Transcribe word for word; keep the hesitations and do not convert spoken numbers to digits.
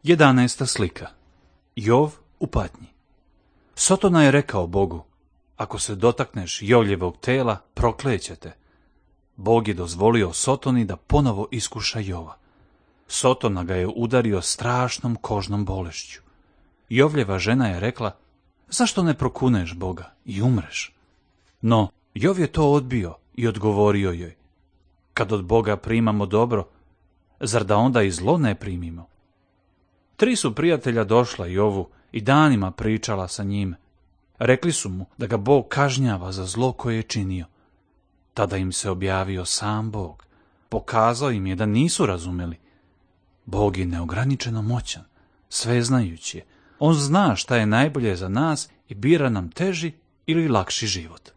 Jedanaesta slika. Jov u patnji. Sotona je rekao Bogu: ako se dotakneš Jovljevog tela, proklećete. Bog je dozvolio Sotoni da ponovo iskuša Jova. Sotona ga je udario strašnom kožnom bolešću. Jovljeva žena je rekla: zašto ne prokuneš Boga i umreš? No, Jov je to odbio i odgovorio joj: kad od Boga primamo dobro, zar da onda i zlo ne primimo? Tri su prijatelja došla Jovu i danima pričala sa njim. Rekli su mu da ga Bog kažnjava za zlo koje je činio. Tada im se objavio sam Bog. Pokazao im je da nisu razumeli. Bog je neograničeno moćan, sveznajući je. On zna šta je najbolje za nas i bira nam teži ili lakši život.